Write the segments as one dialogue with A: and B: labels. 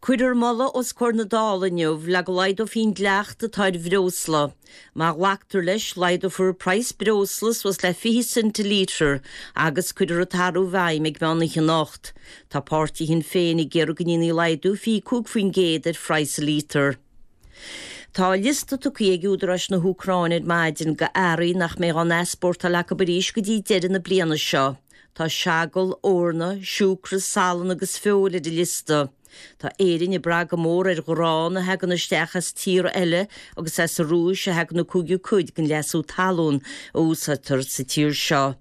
A: Cuirfear moladh os comhair na Dála inniu le go laghdófaí an dleacht atá ar bhreosla. Má ghlactar leis, laghdófar praghas breosla suas le 20 cent an lítear agus cuirfear an t-athrú i bhfeidhm ag meán oíche anocht. Tá páirtí Shinn Féin ag iarraidh go ndéanfaí laghdú 25% ar phraghas an lítear. Tá liosta tugtha ag údaráis na hÚcráine ar maidin de earraí nach mbeidh á n-easpórtáil acu arís go dtí deireadh na bliana seo. Tá seagal, eorna, siúcra, salann agus feoil ar an liosta. Tá Éirinn ag brath go mór ar ghrán a thagann isteach as tíortha eile agus as an Rúis a thagann an cúigiú cuid den leasú talún a úsáidtear sa tír seo.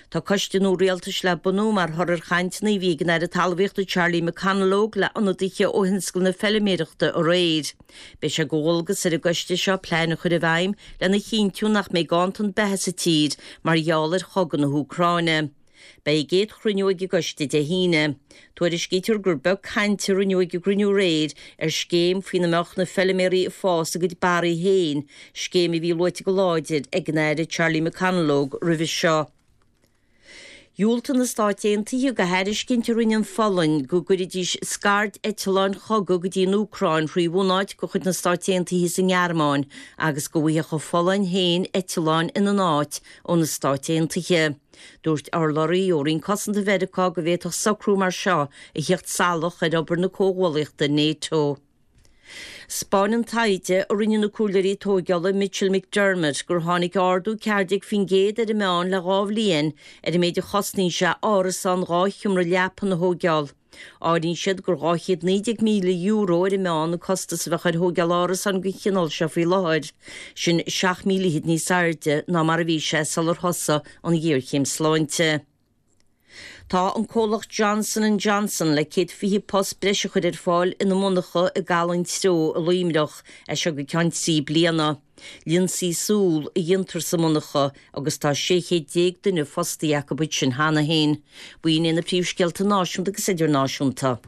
A: Tá coiste nua rialtais le bunú mar thoradh ar chainteanna a bhí ag an Aire Talmhaíochta Charlie McConalogue le ionadaithe ó thionscal na feilméarachta aréir. Beidh sé de dhualgas ar an gcoiste seo plean a chur i bhfeidhm lena chinntiú nach mbeidh ganntan beatha sa tír mar gheall ar chogadh na hÚcráine. Beidh a gcéad chruinniú ag an gcoiste Dé hAoine. Tuairiscítear gur beag caint a rinneadh ag an gcruinniú aréir ar scéim faoina mbeadh na feilméaraí ag fás a gcuid barraí féin, scéim a bhí luaite go láidir ag an Aire Charlie McConalogue roimhe seo. Dhiúltaigh na Stáit Aontaithe do thairiscint a rinne an Pholainn go gcuirfidís scaird-eitleáin chogaidh go dtí an Úcráin thrí bhunáit de chuid na Stáit Aontaithe sa nGearmáin agus go bhfaigheadh an Pholainn féin eitleáin ina n-áit ó na Stáit Aontaithe. Dúirt urlabhraí ó Roinn Cosanta Mheiriceá go bhféadfadh socrú mar seo a theacht salach ar obair na comhghuallaíochta NATO. 'Spáineann taighde a rinne na comhairleoirí tóigeála Mitchell McDermott gur tháinig ardú 14% ar an meán le 2 bhliain ar an méid a chosnaíonn sé árasán 2 sheomra leapan a thóigeáil. Áiríonn siad gur €219,000 ar an meán an costas a bheadh ar thóigeáil árasáin den chineál seo faoi láthair, sin 7,000 fhichead níos airde ná mar a bhí sé sular thosaigh an ghéarchéim sláinte. Tá an comhlacht Johnson and Johnson le 120 post breise a chur ar fáil ina monarcha i gCaladh an Treo i Luimneach, as seo go ceann 3 bliana. Lionsaí súl a dhéantar sa monarcha agus tá 16 chéad duine fostaithe acu ansin cheana féin. B'in iad na príomhscéalta náisiúnta agus idirnáisiúnta.